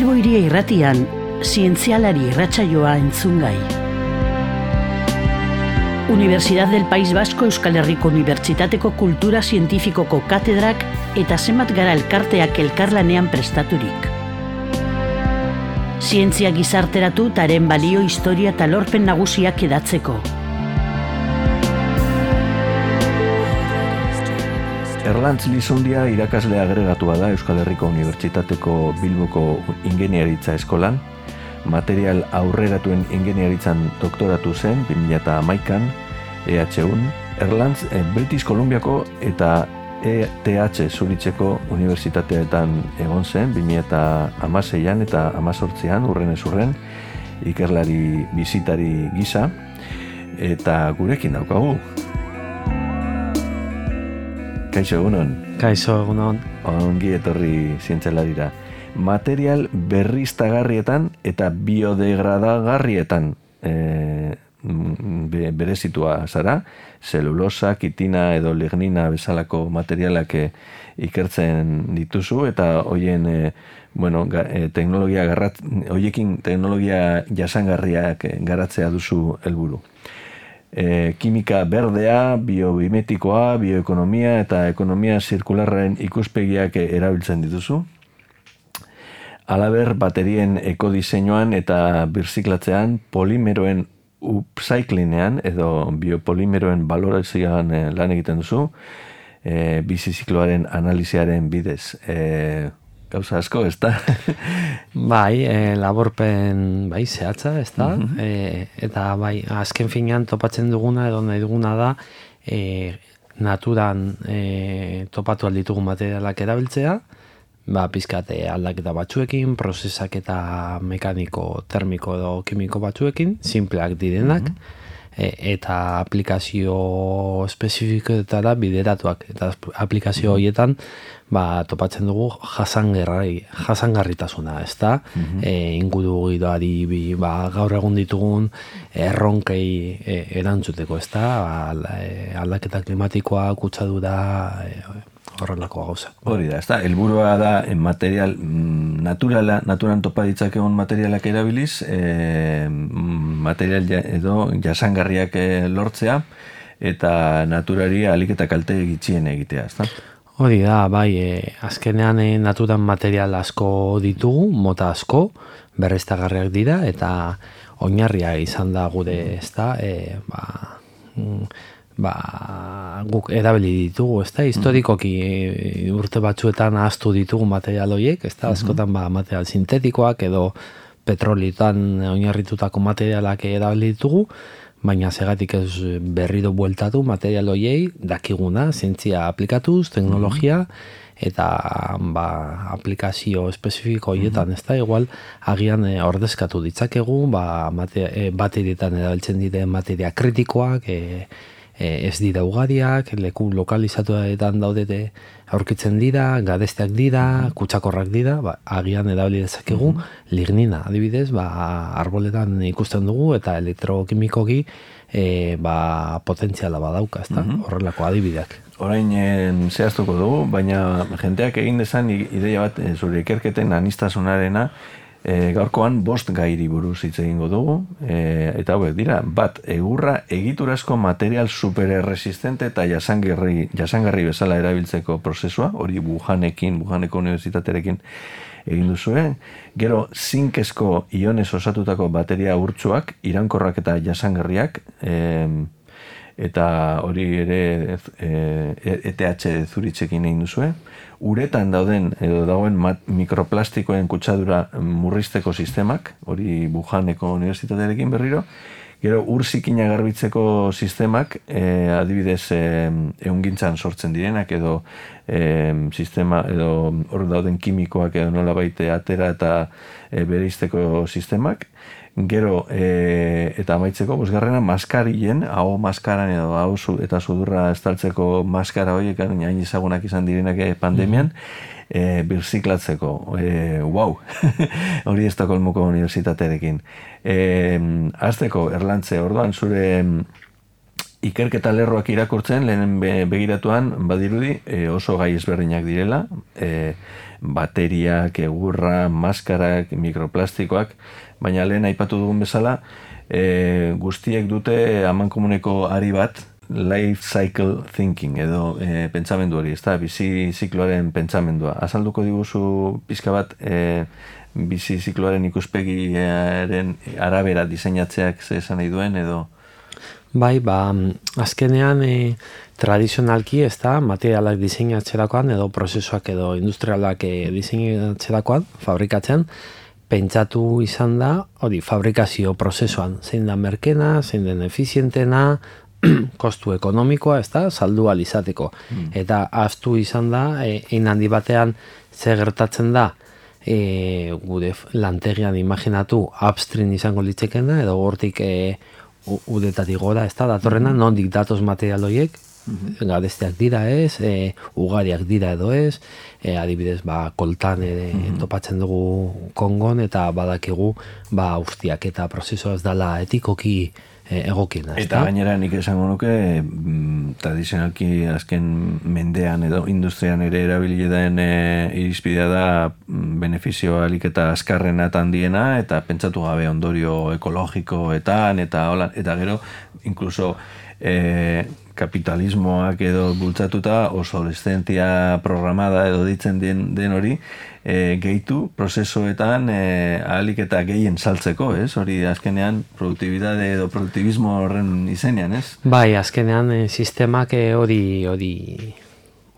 Bilbo Hiria Irratian, zientzialari irratsaioa entzungai. Universidad del País Vasco Euskal Herriko Unibertsitateko Kultura Zientifikoko katedrak eta zenbat gara elkarteak elkarlanean prestaturik. Zientzia gizarteratu eta haren balio, historia eta lorpen nagusiak edatzeko. Erlantz Lizundia irakasle agregatua da Euskal Herriko Unibertsitateko Bilboko Ingeniaritza Eskolan. Material aurreratuen ingeniaritzan doktoratu zen 2011an EHUn. Erlantz British Columbiako eta ETH Zuritzeko unibertsitateetan egon zen 2016an eta 2018an urrenez urren ikerlari bizitari gisa, eta gurekin daukagu. Kaixo egunon. Kaixo egunon. Ongi etorri zientzialarira. Material berriztagarrietan eta biodegradagarrietan berezitua zara, zelulosa, kitina edo lignina bezalako materialak ikertzen dituzu, eta hoien teknologia jasangarriak garatzea duzu helburu. Kimika berdea, biobimetikoa, bioekonomia eta ekonomia zirkularraren ikuspegiak erabiltzen dituzu. Halaber, baterien ekodiseinuan eta birziklatzean, polimeroen upcyclingean edo biopolimeroen balorazioan lan egiten duzu, bizizikloaren analiziaren bidez. Gauza asko, ez da? Bai, laborpen zehatza, ez da? Eta bai, azken finean topatzen duguna edo nahi duguna da naturan topatu alditugu materialak erabiltzea, pizkat aldaketa batzuekin, prozesak eta mekaniko, termiko edo kimiko batzuekin, simpleak direnak, eta aplikazio espezifikoetara bideratuak. Eta aplikazio horietan topatzen dugu jasangarritasuna, ez da? Inguru giroari gaur egun ditugun erronkei erantzuteko, ez da? Aldaketa klimatikoa, kutsadura, horrelako gauza. Hori da, ez da, helburua da material naturan topa ditzakegun materialak erabiliz, material edo jasangarriak lortzea, eta naturari ahalik eta kalte gitxien egitea, ez da? Hori da, bai, azkenean naturan material asko ditugu, mota asko, berriztagarriak dira, eta oinarria izan da gure, ez da, guk erabili ditugu, ez da, historikoki urte batzuetan ahaztu ditugu material horiek, ez da, askotan material sintetikoak edo petrolietan oinarritutako materialak erabili ditugu, baina segatik ez berriro bueltatu material horiei, dakiguna, zientzia aplikatuz, teknologia, eta aplikazio espezifiko horietan, ez da, igual, agian ordezkatu ditzakegu, baterietan erabiltzen diren materia kritikoak, ez dira ugariak, leku lokalizatuetan daudete aurkitzen dira, garesteak dira, kutsakorrak dira, agian erabili dezakegu, lignina, adibidez, arboletan ikusten dugu, eta elektrokimikoki potentziala badauka, ez da, horrelako adibideak. Orain zehaztuko dugu, baina jenteak egin dezan ideia bat zure ikerketen anistasunarena, gaurkoan 5 gairi buruz hitz egingo dugu, eta hauek dira, bat, egurra egiturazko material supererresistente eta jasangarri bezala erabiltzeko prozesua, hori Wuhaneko unibertsitatearekin egin duzue. Gero, zinkezko ionez osatutako bateria urtsuak, iraunkorrak eta jasangarriak, eta hori ere ETH Zuritzekin egin duzue. Uretan dagoen mikroplastikoen kutsadura murrizteko sistemak, hori Wuhaneko unibertsitatearekin berriro. Gero, urzikina garbitzeko sistemak, adibidez ehungintzan sortzen direnak, edo sistema, edo hor dauden kimikoak edo nola baite atera eta bereizteko sistemak. Gero, eta amaitzeko, bosgarrena, maskarien, hau maskaran edo hau eta sudurra estaltzeko maskara horiek, hain ezagunak izan direnak pandemian, birziklatzeko. Wow! Hori Estokolmoko unibertsitatearekin. Hasteko, Erlantze, orduan zure ikerketa lerroak irakurtzen, lehen begiratuan, badirudi, oso gai ezberdinak direla, bateriak, egurra, maskarak, mikroplastikoak, baina lehen aipatu dugun bezala, guztiek dute amankomuneko ari bat, life cycle thinking, edo pentsamendu hori, ez da, bizi zikloaren pentsamendua. Azalduko diguzu pizka bat, bizi zikloaren ikuspegiaren arabera diseinatzeak ze esan nahi duen, edo... Bai, azkenean tradizionalki, ez da, materialak diseinatzerakoan, edo prozesuak edo industrialak diseinatzerakoan, fabrikatzen, pentsatu izan da, hori, fabrikazio prozesuan, zein da merkena, zein den efizientena, kostu ekonomikoa, ez da, saldu alizateko. Eta ahaztu izan da, hein handi batean ze gertatzen da, gure lantegian imaginatu upstream izango litzekena, edo hortik udetatik gora, ez da, datorrena, nondik datoz material horiek, garesteak dira ez, ugariak dira edo ez, adibidez, koltan topatzen dugu Kongon, eta badakigu, ustiak eta prozesoa ez dela etikoki egokiena. Eta gainera nik esango nuke, tradizionalki azken mendean edo industrian ere erabili den irizpidea da benefizio alik eta azkarrena eta handiena, eta pentsatu gabe ondorio ekologikoetan, eta gero, inkluso kapitalismoak edo bultzatuta obsolescentzia programada edo ditzen den hori, gehitu prozesuetan ahalik eta gehien saltzeko, ez? Hori azkenean produktibidade edo produktibismo horren izenean, ez? Bai, azkenean sistemak hori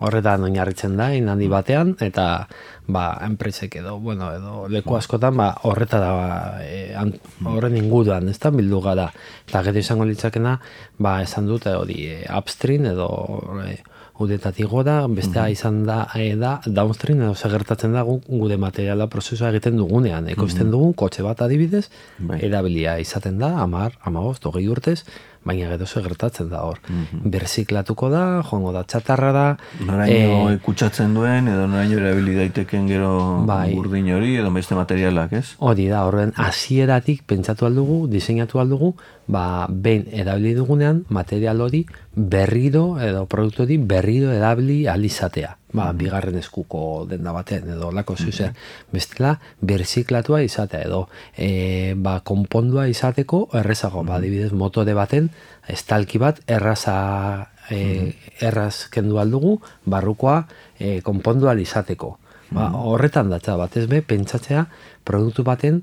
horretan oinarritzen da, handi batean, eta enpresek edo leku askotan horren inguruan, ez da, bildu gara. Eta gero izango litzakena, esan dute hori upstream edo udetatik gora, bestea izan da downstream, edo segertatzen da gure materiala prozesua egiten dugunean. Ekoizten dugun, kotxe bat adibidez, erabilia izaten da, 10, 15, 20 urtez, baina gero segertatzen da hor. Berziklatuko da, joango da txatarra da. Noraino kutsatzen duen, edo noraino erabili daiteken gero urdin hori, edo beste materialak, ez? Hori da, horren hasieratik pentsatu aldugu, diseinatu aldugu, behin erabili dugunean, material hori berriro, edo produktu hori berriro erabili alizatea. Bigarren eskuko denda batean, edo lako zuzer. Bestela, berziklatua izatea, edo konpondua izateko errezago, adibidez, motore baten, estalki bat erraz kendu aldugu, barrukoa konpondua izateko. Horretan datza batez be, pentsatzea produktu baten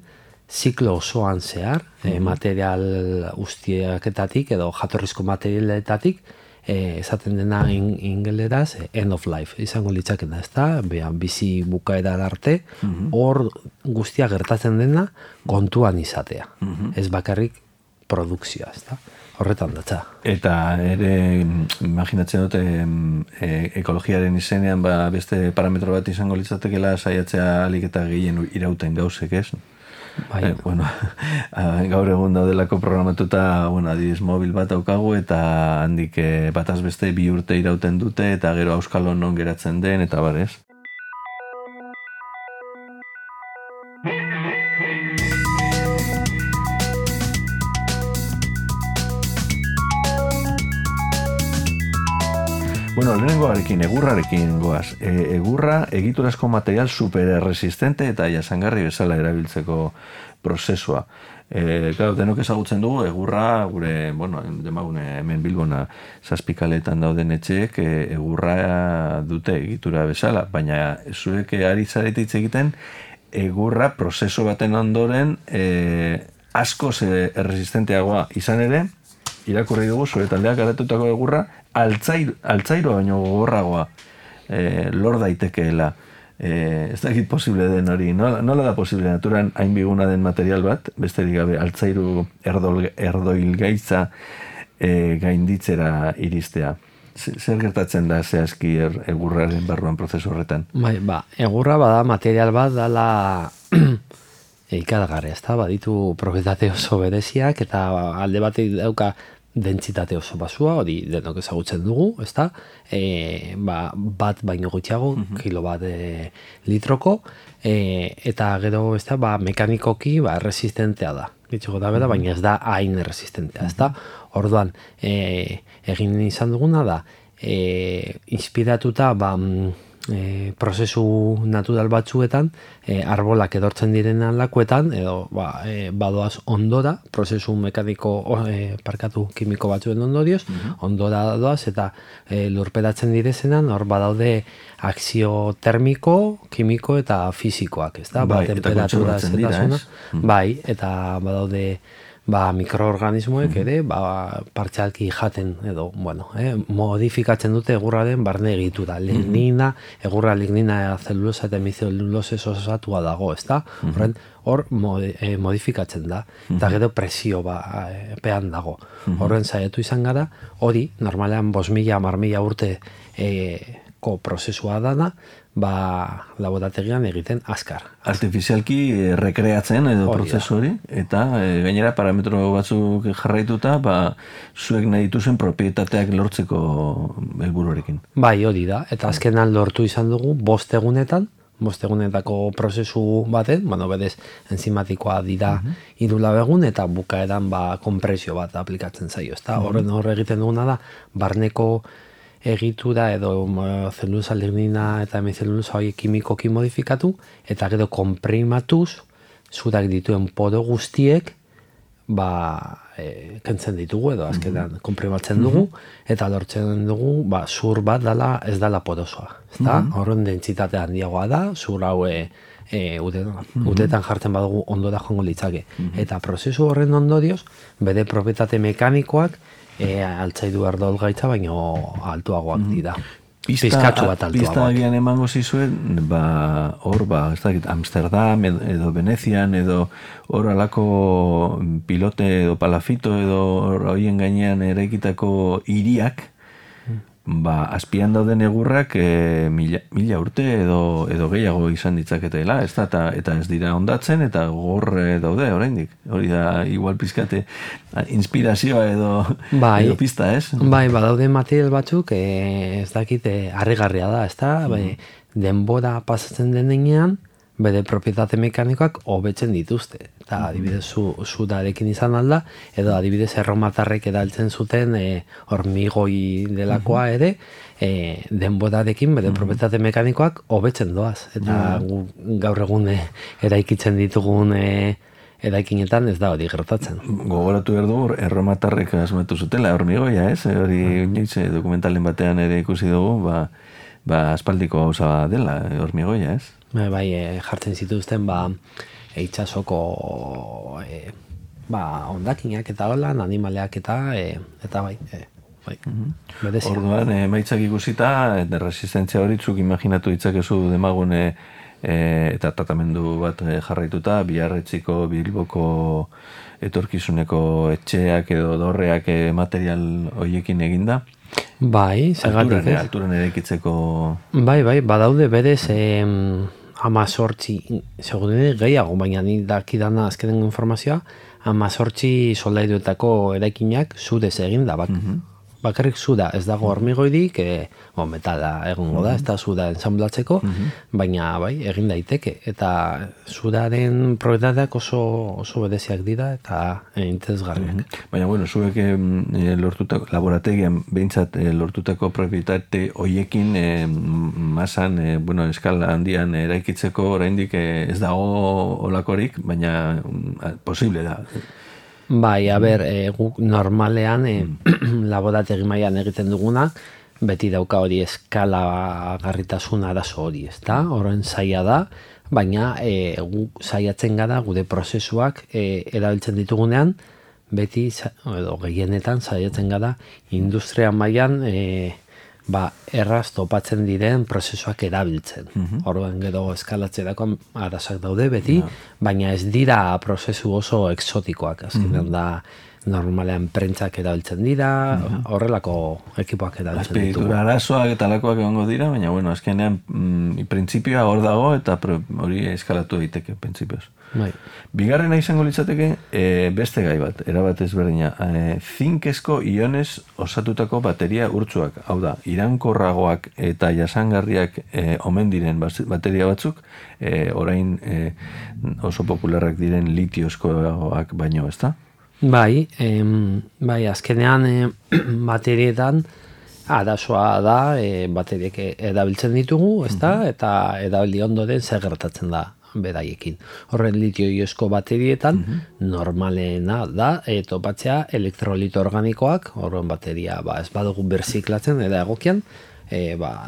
ziklo osoan zehar, material ustiaketatik edo jatorrizko materialetatik, esaten dena ingeleraz end of life, izango litzakena, ez da, bizi bukaeran arte, hor guztia gertatzen dena kontuan izatea, ez bakarrik produkzioa, ez da, horretan datza. Eta ere, imaginatzen dute, ekologiaren izenean beste parametro bat izango litzatekela saiatzea alik eta gehien irauten gauzek, ez? Gaur egun daudelako programatuta, adibidez mobil bat daukagu, eta handik bataz beste 2 urte irauten dute, eta gero auskalo non geratzen den, eta barez. Lehenengoarekin, egurrarekin goaz. Egurra egiturazko material superresistente eta jasangarri bezala erabiltzeko prozesua. Denok ezagutzen dugu, egurra, gure, demagune hemen Bilbona zazpikaletan dauden etxeek egurra dute egitura bezala, baina zuek ari zaretitz egiten egurra prozesu baten ondoren askoz erresistenteagoa izan ere, irakurri dugu zure taldeak garatutako egurra altzairo baino gogorragoa lor daitekeela. Ez dakit posible den hori. Nola da posible naturan hain biguna den material bat, besterik gabe altzairu erdoilgaitza gainditzera iristea? Zer gertatzen da zehazki egurraren barruan prozesu horretan? Egurra bada material bat dala ikaragarri, ez da, baditu propietate oso bereziak, eta alde batek dauka dentsitate oso basua, hori denok ezagutzen dugu, ez da, bat baino gutxiago, kilo bat litroko, eta gero, ez da, mekanikoki resistentea da. gitxiko da bera, baina ez da hain resistentea, ez da? Orduan, egin izan duguna da, inspiratuta, prozesu natural batzuetan, arbolak edortzen direnan lakuetan, edo badoaz ondora, prozesu mekaniko, kimiko batzuen ondorioz, ondora doaz, eta lurperatzen direzenan, hor badaude akzio termiko, kimiko eta fisikoak, ez da? Eta kontserbatzen dira, ez? Bai, eta badaude mikroorganismoek ere, partzialki jaten edo, modifikatzen dute egurraren barne egitura. Lignina, egurra lignina zelulosa eta hemizelulose osatua dago, ez da? Hor modifikatzen da, eta gero presio pean dago. Horren saiatu izan gara, hori, normalean 5.000-10.000 urteko prozesua dana, laborategian egiten azkar. Artifizialki rekreatzen edo prozesu hori, eta gainera parametro batzuk jarraituta, zuek nahi dituzen propietateak lortzeko helburuarekin. Bai, hori da, eta azkenan lortu izan dugu 5 egunetan, 5 egunetako prozesu baten, berez enzimatikoa dira 3 egun, eta bukaeran konpresio bat aplikatzen zaio. Horren egiten duguna da, barneko egitura edo zelulosa lignina eta hemizelulosa hori kimikoki modifikatu, eta gero konprimatuz, zurak dituen poro guztiek, kentzen ditugu edo azkenan konprimatzen dugu, eta lortzen dugu, zur bat ez dala porosoa. Horren dentsitate handiagoa da, zur hau utetan jartzen badugu ondora joango litzake. Eta prozesu horren ondorioz, bere propietate mekanikoak, altzaidu erdol gaitza, baino altuagoak dira. Pizkatxo bat altuagoak. Pista agian emango zizuen, hor, ez dakit, Amsterdam edo Venezian edo hor alako pilote edo palafito edo horien gainean eraikitako hiriak, azpian dauden egurrak 1000 urte edo gehiago izan ditzaketela, ez da, eta ez dira ondatzen, eta gorre daude oraindik. Hori da, igual pizkate inspirazioa edo pista, ez? Bai, badaude material batzuk, ez dakit, harrigarria da, ez da, denbora pasatzen denean, bere propietate mekanikoak hobetzen dituzte. Eta adibidez sudarekin izan alda, edo adibidez erromatarrek edaltzen zuten hormigoi delakoa ere, denborarekin bere propietate mekanikoak hobetzen doaz. Eta gaur egun eraikitzen ditugun eraikinetan ez da hori gertatzen. Gogoratu behar dugu, erromatarrek asmatu zutela hormigoia, ez? Hori dokumentalen batean ere ikusi dugu, aspaldiko gauza dela hormigoia, ez? Bai, jartzen zituzten itsasoko ondakinak eta holan, animaleak eta bai. Orduan, emaitzak ikusita, resistentzia horitzuk imaginatu ditzakezu demagune eta tratamendu bat jarraituta, Biarretziko, Bilboko etorkizuneko etxeak edo dorreak material horiekin eginda. Bai, zergatik ez. Alturan eraikitzeko... Bai, badaude berez 18, segurune gehiago, baina ni dakidana azkenen informazioa, 18 soldairuetako eraikinak zudez egin da, bakarrik zuda, ez dago hormigoidik, metala egongo da, ez da zuda ensamblatzeko, baina bai, egin daiteke, eta zudaren propietateak oso bereziak dira, eta interesgarriak. Baina, zuek lortutako, laborategian behintzat lortutako propietate hoiekin masan, eskala handian eraikitzeko oraindik ez dago olakorik, baina posible da. Bai, guk normalean laborategi mailan egiten duguna, beti dauka hori eskala garritasun arazo hori, ez da? Horren zaila da, baina guk saiatzen gara gure prozesuak erabiltzen ditugunean, beti, edo gehienetan saiatzen gara industria mailan erraz topatzen diren prozesuak erabiltzen. Horren gero eskalatzerako arazoak daude beti, baina ez dira prozesu oso exotikoak, azkenean da normalean prentzak erabiltzen dira, horrelako ekipoak erabiltzen ditugu. Azpiegitura arazoak eta lakoak egongo dira, baina, bueno, azkenean printzipioa hor dago eta hori eskalatu daiteke, printzipioz. Bai. Bigarrena izango litzateke beste gai bat, erabat ezberdina. Zinkezko ionez osatutako bateria urtsuak. Hau da, iraunkorragoak eta jasangarriak omen diren bateria batzuk, orain oso popularrak diren litiozkoak baino, ezta? Bai, azkenean baterietan arazoa da bateriek erabiltzen ditugu, ezta? Eta erabili ondoren zer gertatzen da beraiekin. Horren litio-iosko baterietan normalena da topatzea elektrolito organikoak, horren bateria ez badugu berziklatzen eta egokian,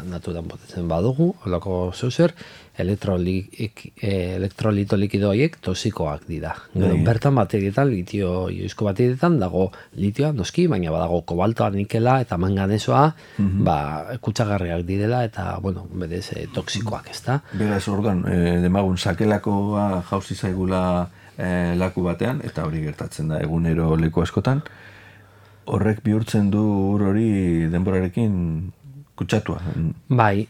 naturan botetzen badugu, holako zeuzer, elektrolito likido horiek tosikoak dira. Bertan baterietan, litio-iosko baterietan dago litioa noski, baina badago kobaltoa, nikela eta manganesoa kutsagarriak direla eta, bueno, berez toksikoak, ezta? Beraz, orduan, demagun sakelakoa jauzi zaigula laku batean, eta hori gertatzen da egunero leku askotan, horrek bihurtzen du ur hori denborarekin kutsatua. Bai.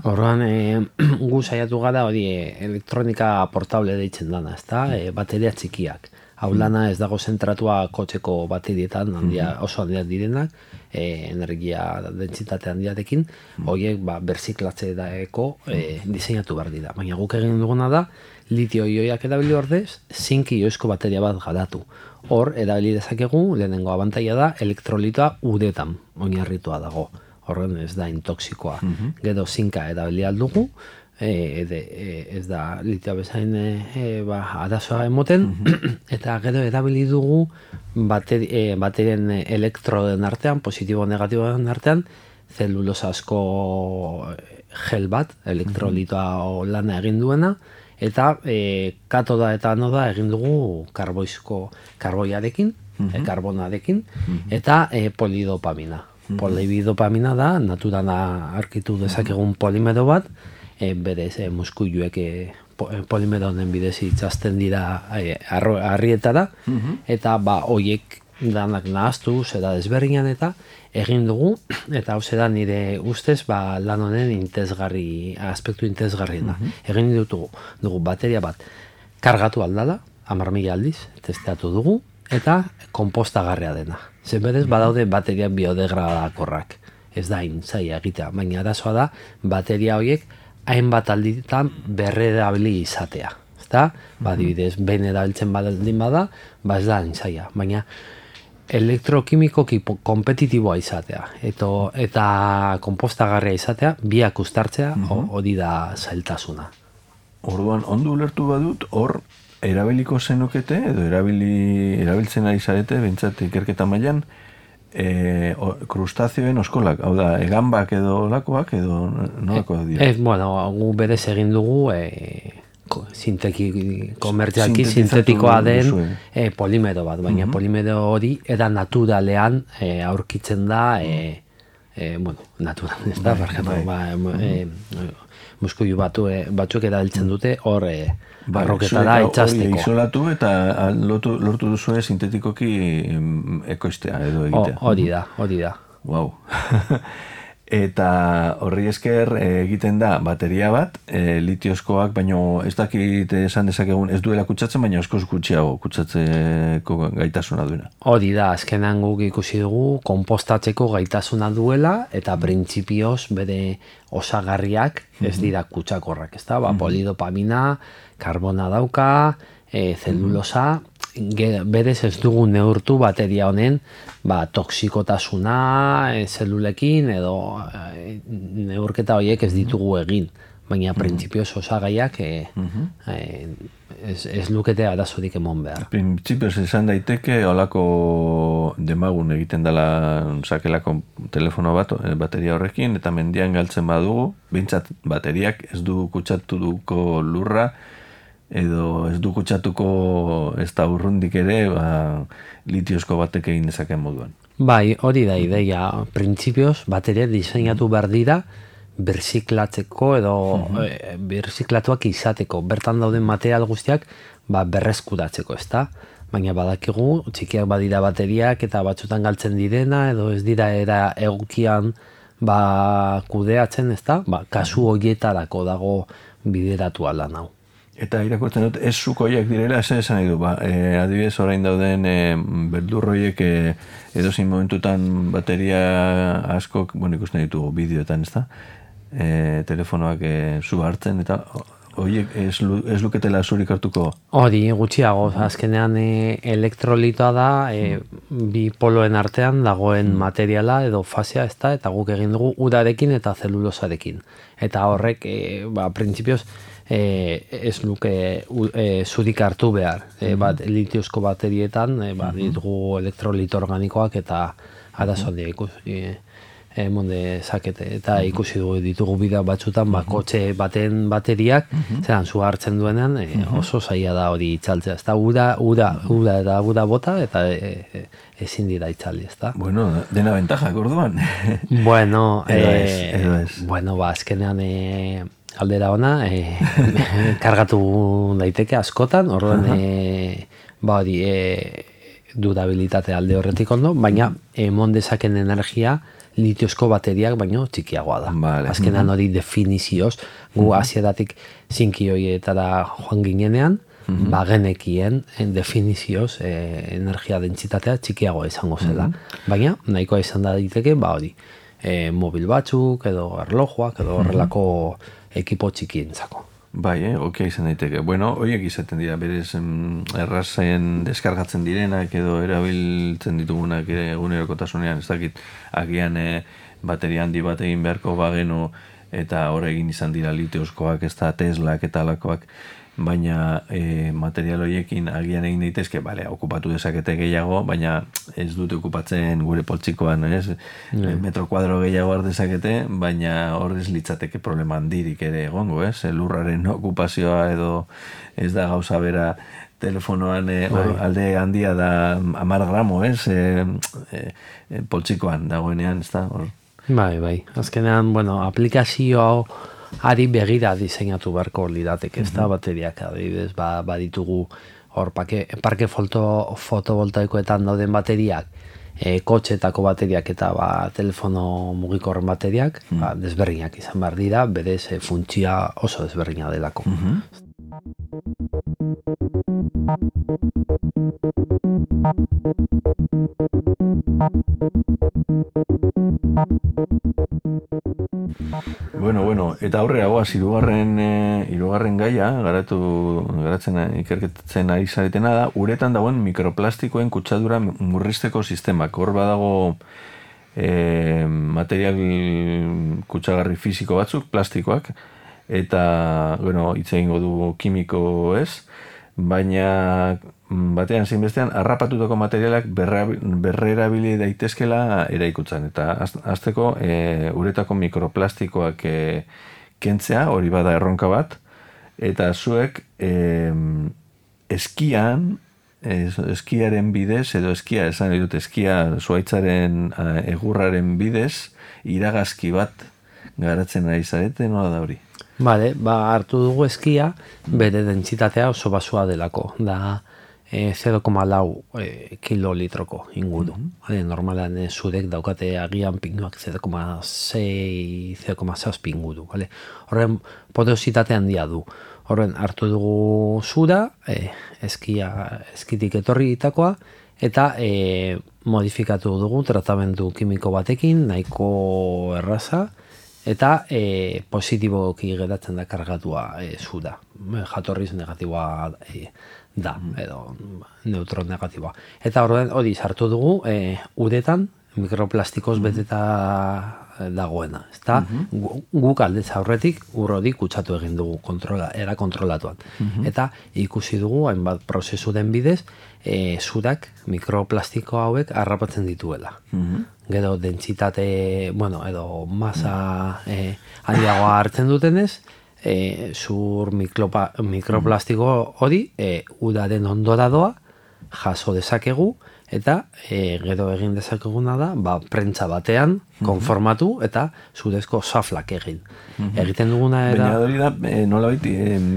Horrean gu saiatu gara hori elektronika portable deitzen dana, ezta? Bateria txikiak. Hau lana ez dago zentratua kotxeko baterietan oso handiak direnak, energia dentsitate handiarekin, horiek berziklatze daeko diseinatu behar dira. Baina guk egin duguna da, litio-ioiak erabili ordez, zink-ioizko bateria bat garatu. Hor, erabili dezakegu, lehenengo abantaila da, elektrolitoa uretan oinarritua dago. Horren ez da intoxikoa. Gero zinka erabili aldugu, ez da litioa bezain arazoa emoten, eta gero erabili dugu baterien elektroden artean, positibo-negatiboen artean, zelulosa asko gel bat, elektrolitoa lana egin duena, eta katoda eta anoda egin dugu karboiarekin, karbonarekin, eta polidopamina. Polidopamina da, naturan aurkitu dezakegun polimero bat, berez muskuiluek polimero honen bidez itzazten dira harrietara, eta horiek danak nahaztu, zera desberdinan eta egin dugu, eta hau zera nire ustez lan honen aspektu intezgarriena. Egin dugu bateria bat kargatu aldala, 10.000 aldiz, testeatu dugu, eta konpostagarria dena. Zenberez, badaude bateriak biodegradakorrak. Ez da zaila egitea, baina arazoa da bateria horiek hainbat alditan berrerabili izatea. Ezta? Adibidez, behin erabiltzen baldin bada, ez da zaila. Baina elektrokimikoki kompetitiboa izatea eta konpostagarria izatea, biak uztartzea, hori da zailtasuna. Orduan, ondo ulertu badut, hor erabiliko zenukete, edo erabiltzen ari zarete, bintzat ikerketa mailan, krustazioen oskolak, hau da, egambak edo lakoak, edo nolakoak dira? Gu berez egin dugu, komertzialki sintetikoa den polimero bat, baina polimero hori era naturalean aurkitzen da, naturan, ez da, muskuilu batzuk erabiltzen dute, hor barroketara itxasteko. Hori isolatu eta lortu duzue sintetikoki ekoiztea edo egitea. Hori da. Wow. Eta horri esker egiten da bateria bat, litiozkoak, baino ez dakit esan dezakegun ez duela kutsatzen, baina askoz gutxiago kutsatzeko gaitasuna duena. Hori da, azkenan guk ikusi dugu, konpostatzeko gaitasuna duela, eta printzipioz bere osagarriak ez dira kutsakorrak, ez da? Polidopamina, karbona dauka, zelulosa, berez ez dugu neurtu bateria honen toksikotasuna zelulekin edo neurketa horiek ez ditugu egin, baina printzipioz osagaiak ez lukete arazorik emon behar. Printzipioz esan daiteke holako demagun egiten dela sakelako telefono bat bateria horrekin eta mendian galtzen badugu, behintzat bateriak ez du kutsatuko lurra edo ez du kutsatuko ez da urrundik ere litiozko batek egin dezaken moduan. Bai, hori da ideia. Printzipioz, bateria diseinatu behar dira berziklatzeko edo berziklatuak izateko. Bertan dauden material guztiak berreskuratzeko, ezta? baina badakigu, txikiak badira bateriak eta batzutan galtzen direna, edo ez dira era egokian kudeatzen, ezta? Kasu horietarako dago bideratu ala nau. Eta irakurtzen dut, ez zukoiak direla, esan nahi du, adibidez orain dauden beldurroiek edozein momentutan bateria askok, ikusten ditugu bideoetan, ezta? Telefonoak zu hartzen, eta horiek ez luketela zurik hartuko? Hori, gutxiago, azkenean elektrolitoa da, bi poloen artean dagoen materiala edo fasea, ezta, eta guk egin dugu urarekin eta zelulosarekin. Eta horrek, printzipioz, ez luke zurik hartu behar. Litiozko baterietan, ditugu elektrolito organikoak eta arazoan monde zakete, eta ikusi dugu ditugu bidea batzutan, kotxe baten bateriak, zeran zu hartzen duenean, oso zaila da hori itzaltzea, ez da ura bota, eta ezin dira itzaldi, ez da. Bueno, dena bentajak orduan. Bueno, edo ez. Bueno, azkenean aldera ona, kargatu daiteke askotan, orduan, hori, durabilitate alde horretik ondo, baina emon dezaken energia litiozko bateriak baino txikiagoa da. Vale. Azkenan hori definizioz, gu hasieratik zinkioietara joan ginenean, genekien definizioz energia dentsitatea txikiagoa izango zela. Baina, nahikoa izan da daiteke, hori, mobil batzuk, edo erlojuak, edo horrelako ekipo txikientzako. Bai, okia izan daiteke. Bueno, horiek izaten dira, berez errazen deskargatzen direnak edo erabiltzen ditugunak egunerokotasunean, ez dakit, agian bateria handi bat egin beharko bagenu eta hor egin izan dira litiozkoak, ez da Teslak eta alakoak, baina material horiekin agian egin daitezke, okupatu dezakete gehiago, baina ez dute okupatzen gure poltsikoan, metro kuadro gehiago har dezakete, baina hor ez litzateke problema handirik ere egongo, lurraren okupazioa edo ez da gauza bera telefonoan alde handia da 10 gramo, poltsikoan dagoenean, ez da, hor. Bai. Azkenean, aplikazio ari begira diseinatu beharko lirateke, ez da, bateriak adibidez, baditugu hor parke fotovoltaikoetan dauden bateriak, kotxetako bateriak eta telefono mugikorren bateriak, desberdinak izan behar dira, berez funtzioa oso desberdina delako. Bueno, eta aurrera goaz, hirugarren gaia, garatzen ikerketzen ari zaretena da, uretan dagoen mikroplastikoen kutsadura murrizteko sistemak. Hor badago material kutsagarri fisiko batzuk, plastikoak, eta, hitz egingo du kimiko ez, baina batean zein bestean harrapatutako materialak berrerabili daitezkela eraikutzen. Eta hasteko uretako mikroplastikoak kentzea, hori bada erronka bat, eta zuek eskiaren bidez, edo esan dut eskia zuaitzaren egurraren bidez, iragazki bat garatzen ari zarete, nola da hori? Bale, hartu dugu eskia, bere dentsitatea oso basua delako, da 0,4 kilolitroko inguru. Normalan zurek daukate agian pinuak 0,6, 0,6 inguru. Horren porositate handia du. Horren hartu dugu zura, eskitik etorri ditakoa, eta modifikatu dugu tratamendu kimiko batekin, nahiko erraza, eta positiboki geratzen da kargatua zura. Jatorriz negatiboa da, edo neutron negatiboa. Eta hori sartu dugu uretan mikroplastikoz beteta dagoena. Guk aldez aurretik urrodi kutsatu egin dugu era kontrolatuan. Eta ikusi dugu hainbat prozesuren bidez zurak mikroplastiko hauek harrapatzen dituela. Gero dentsitate, edo masa handiagoa hartzen dutenez, zur mikroplastiko hori udaren ondora doa, jaso dezakegu, eta gero egin dezakeguna da, prentza batean konformatu eta zurezko xaflak egin. Egiten duguna Baina hori da, nolabait,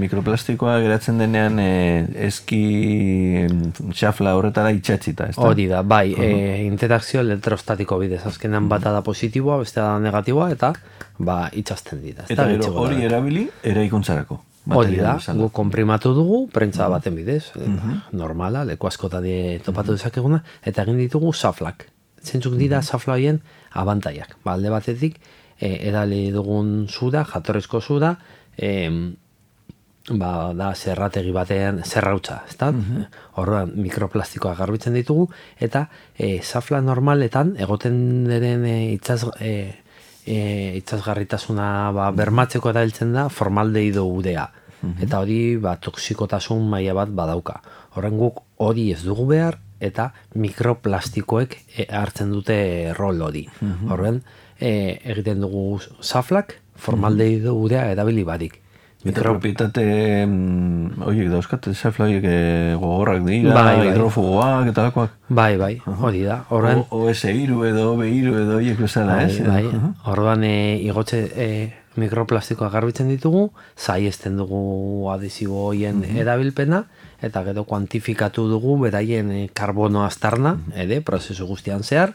mikroplastikoa geratzen denean eski xafla horretara itxatzita, ez da? Hori da, bai, interakzio elektrostatiko bidez, azkenean bata da positiboa, bestea da negatiboa, eta itxasten dira. Eta gero hori erabili eraikuntzarako. Hori da, gu konprimatu dugu, prentza baten bidez, normala, leku askotan topatu dezakeguna, eta egin ditugu xaflak. Zentzuk dira xafla horien abantaiak. Alde batetik, edali dugun zura, jatorrizko zura, da zerrategi batean zerrautza, ez da? Horrean mikroplastikoa garbitzen ditugu, eta xafla normaletan egoten diren itxasgarritasuna bermatzeko erabiltzen da formaldehid udea. Eta hori toxikotasun maila bat badauka. Horren guk hori ez dugu behar, eta mikroplastikoek hartzen dute rol hori. Horren egiten dugu xaflak formaldehid udea erabili barik. Eta propietate horiek dauzkat, xafla horiek gogorrak dira, hidrofogoak eta lakoak. Bai, hori da. OS-iru edo OB-iru edo horiek bezala, ez? Bai, orduan igotxe mikroplastikoa garbitzen ditugu, saiesten dugu adhesibo horien erabilpena, eta gero kuantifikatu dugu beraien karbono aztarna, prozesu guztian zehar,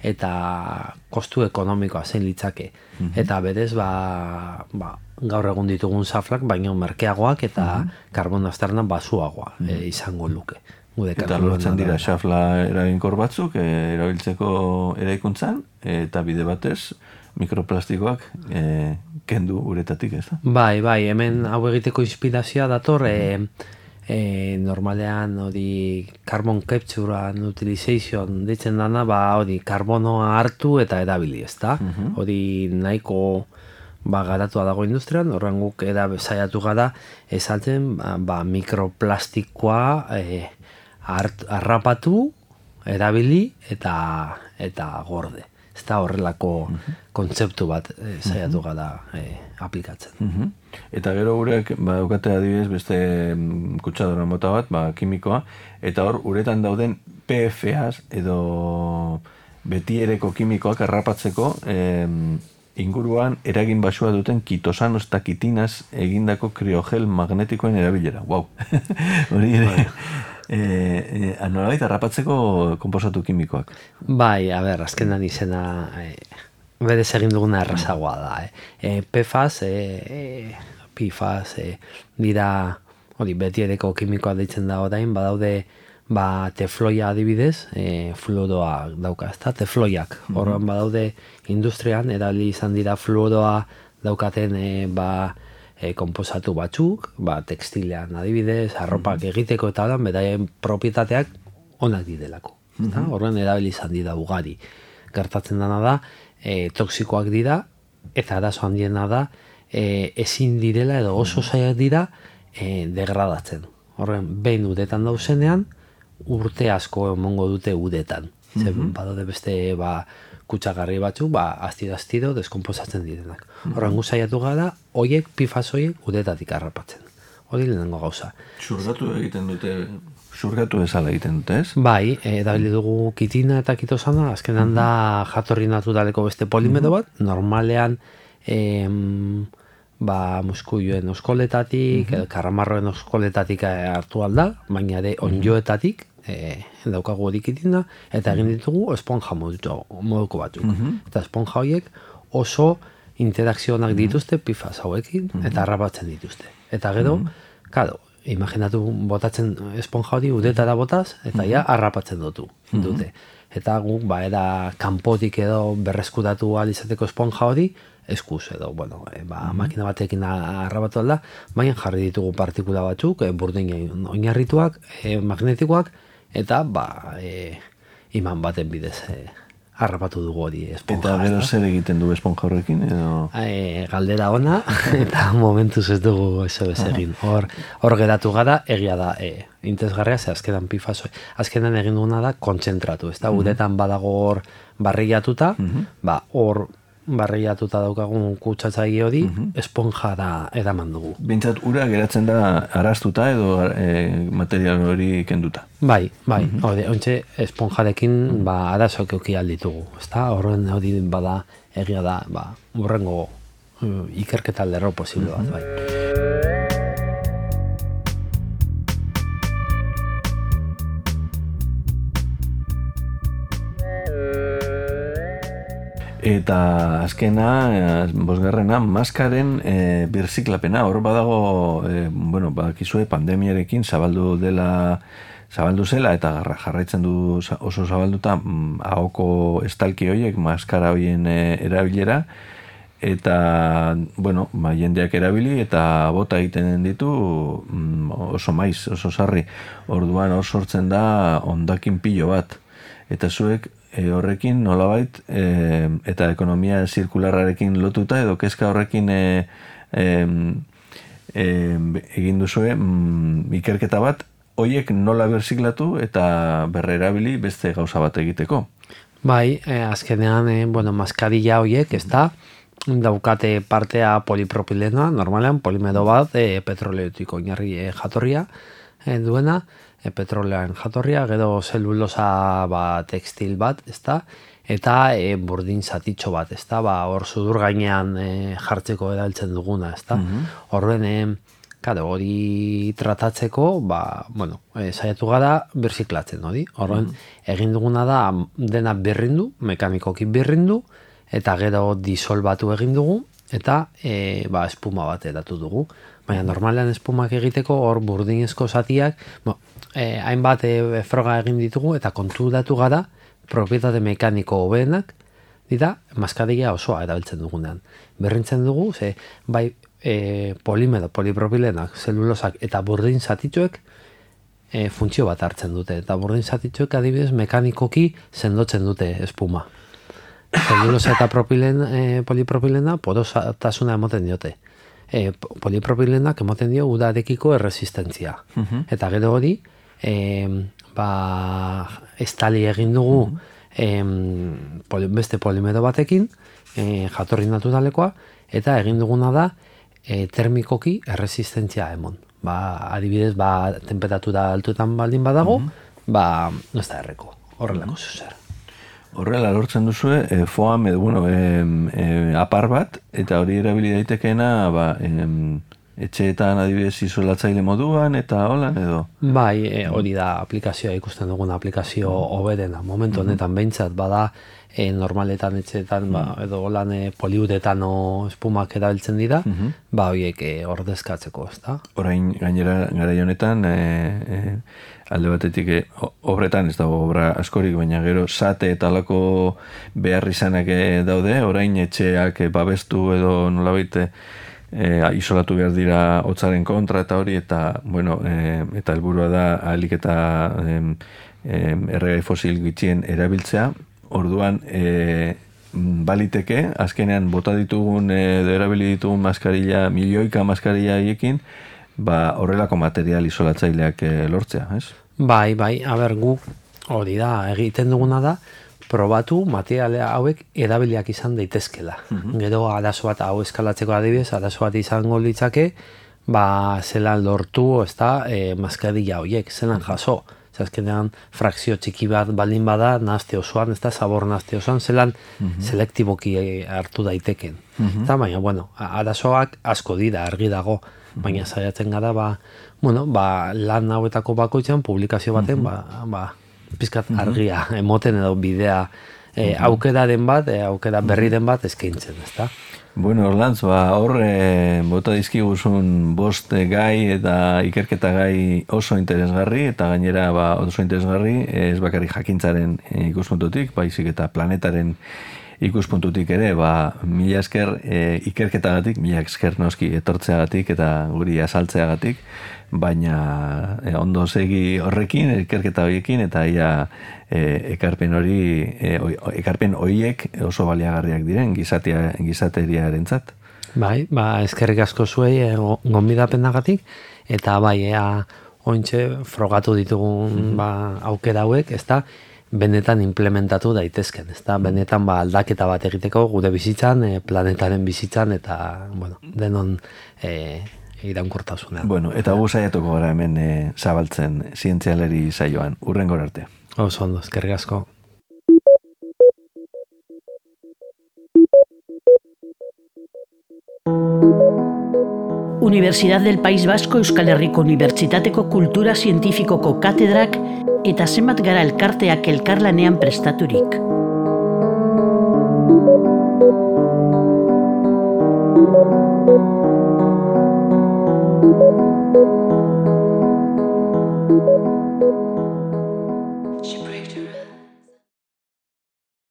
eta kostu ekonomikoa zein litzake. Eta berez, gaur egun ditugun xaflak, baina merkeagoak eta karbono aztarna basuagoa izango luke. Eta lortzen dira xafla eraginkor batzuk, erabiltzeko eraikuntzan, eta bide batez, mikroplastikoak kendu uretatik, ez da? Bai, hemen hau egiteko inspirazioa dator, normalean hori carbon capture and utilization ditzen dana, hori karbonoa hartu eta erabili, ez da? Hori nahiko garatua dago industrian, horren guk saiatu gara esaltzen mikroplastikoa harrapatu, erabili eta gorde. Ez da horrelako kontzeptu bat saiatu gara aplikatzen. Eta gero urek, daukate adibidez beste kutsadora mota bat, kimikoa, eta hor uretan dauden PFAs edo betiereko kimikoak harrapatzeko inguruan eragin basua duten kitosanos eta kitinas egindako kriogel magnetikoen erabilera. Wow! Hori ere... nolabait harrapatzeko konposatu kimikoak. Bai, azkenan izena berez egin duguna errazagoa da. PFAS dira betiereko kimikoa deitzen da orain, badaude tefloia adibidez, fluoroa dauka, ez da, tefloiak. Horren badaude industrian, erabili izan dira fluoroa daukaten konposatu batzuk, tekstilean adibidez, arropak egiteko eta holan, beraien propietateak onak didelako. Horren erabili izan dira ugari. Gertatzen dena da, toksikoak dira, eta arazo handiena da, ezin direla edo oso zaiak dira degradatzen. Horren, behin uretan dauzenean, urte asko emongo dute uretan. Badaude beste kutsagarri batzuk, astiro deskomposatzen direnak. Horren saiatu gara, horiek, PFAS horiek, uretatik harrapatzen. Hori lehenengo gauza. Zurgatu ezala egiten dute, ez? Bai, erabili dugu kitina eta kitosana, azkenan da jatorri naturaleko beste polimero bat, normalean muskuioen oskoletatik, karramarroen oskoletatik hartu alda, baina ere onjoetatik, daukagu hori kitina, eta egin ditugu esponja moduko batzuk. Eta esponja horiek oso interakzionak dituzte PFAS hauekin, eta harrapatzen dituzte. Eta gero, imaginatu botatzen esponja hori udetara botaz, eta harrapatzen dute. Eta guk, kanpotik edo berreskuratu izateko esponja hori, eskuz edo, makina batekin harrapatu alda, baina jarri ditugu partikula batzuk, burdin oinarrituak, magnetikoak, eta iman baten bidez harrapatu dugu hori esponja. Eta gero zer egiten du esponja horrekin? Galdera ona, eta momentuz ez dugu eso egin. Hor geratu gara, egia da, interesgarria, ze azkenan PFAS, azkenan egin duguna da kontzentratu, ez da, uretan badago hor barrilatuta, hor barriatuta daukagun kutsatzaile hori, esponjara eraman dugu. Bintzat, ura geratzen da arrastuta edo material hori kenduta. Bai, ontxe esponjarekin arazoak euki alditugu, ezta? Horren hori bada egia da, urrengo ikerketa lerro posible bat, bai. Eta azkena, bosgarrena, maskaren birziklapena. Hor badago, bakizue pandemiarekin zabaldu zela eta jarraitzen du oso zabalduta ahoko estalki horiek, maskara horien erabilera. Eta, jendeak erabili eta bota egiten ditu oso maiz, oso sarri. Orduan hor sortzen da hondakin pilo bat. Eta zuek horrekin nolabait eta ekonomia zirkularrarekin lotuta edo kezka horrekin egin duzue ikerketa bat, hoiek nola berziklatu eta berrerabili beste gauza bat egiteko. Bai, azkenean, maskarilla hoiek, ez da, daukate partea polipropilena, normalean polimedo bat, petroleotik oinarri jatorria duena, petrolean jatorria, gero zelulosa tekstil bat, ezta? Eta burdin zatitxo bat, ezta? Hor sudur gainean jartzeko erabiltzen duguna, ezta? Horren, hori tratatzeko, saiatu gara birziklatzen, hori? Horren, egin duguna da, dena birrindu, mekanikoki birrindu, eta gero disolbatu egin dugu, eta espuma bat edatu dugu. Baina normalean espumak egiteko hor burdinezko zatiak, hainbat froga egin ditugu eta konturatu gara propietate mekaniko hobeenak dira maskarilla osoa erabiltzen dugunean. Berrintzen dugu, polimedo, polipropilenak, zelulosak eta burdin zatitxoek funtzio bat hartzen dute. Eta burdin zatitxoek adibidez mekanikoki sendotzen dute espuma. Zelulosa eta polipropilena porotasuna emoten diote. Polipropilenak emoten dio udarekiko erresistentzia. Eta gero hori, estali egin dugu beste polimedo batekin, jatorri naturalekoa, eta egin duguna da termikoki erresistentzia emon. Adibidez, temperatura altuetan baldin badago, ez da erreko, horrelako zuzer. Horrela lortzen duzue, foam edo, apar bat, eta hori erabili daitekeena, etxeetan adibidez isolatzaile moduan, eta holan edo? Bai, hori da aplikazioa ikusten dugun aplikazio hoberena. Momentu honetan behintzat, bada normaletan etxeetan, edo holan poliuretano espumak erabiltzen dira, horiek ordezkatzeko, ez da? Orain gainera garai honetan, alde batetik obretan, ez dago obra askorik, baina gero sate eta alako behar izanak daude, orain etxeak babestu edo nolabait isolatu behar dira hotzaren kontra eta hori, eta eta helburua da ahalik eta erregai fosil gutxien erabiltzea. Orduan baliteke, azkenean bota ditugun edo erabili ditugun maskarilla, milioika maskarilla hiekin, horrelako material isolatzaileak lortzea, ez? Bai, guk hori da, egiten duguna da, probatu materiale hauek erabiliak izan daitezkela. Gero arazo bat hau eskalatzeko adibidez, arazo bat izango litzake, zelan lortu, ez da, maskarilla horiek, zelan jaso. Azkenean frakzio txiki bat baldin bada, nahazte osoan, ez da, sabor nahazte osoan, zelan selektiboki hartu daiteken. Eta baina, arazoak asko dira, argi dago, baina saiatzen gara, lan hauetako bakoitzean, publikazio baten, pizkat argia, emoten edo bidea, aukeraren bat, aukera berriren bat eskaintzen, ez da? Orlantz, hor bota dizkiguzun bost gai eta ikerketa gai oso interesgarri, eta gainera oso interesgarri, ez bakarrik jakintzaren ikuspuntutik, baizik eta planetaren ikuspuntutik ere, mila esker ikerketagatik, mila esker noski etortzeagatik eta guri azaltzeagatik, baina ondo segi horrekin, ikerketa horiekin, eta ia ekarpen horiek oso baliagarriak diren gizateriarentzat. Bai, eskerrik asko zuei gonbidapenagatik, eta ointxe frogatu ditugun aukera hauek, ezta, benetan implementatu daitezken, ezta? Benetan aldaketa bat egiteko gure bizitzan, planetaren bizitzan eta, bueno, denon iraunkortasunean. Bueno, eta gu saiatuko gara hemen zabaltzen zientzialeri saioan, hurrengora arte. Oso ondo, eskerrik asko. Universidad del País Vasco Euskal Herriko Unibertsitateko Kultura Zientifikoko katedrak eta zenbat gara elkarteak elkarlanean prestaturik.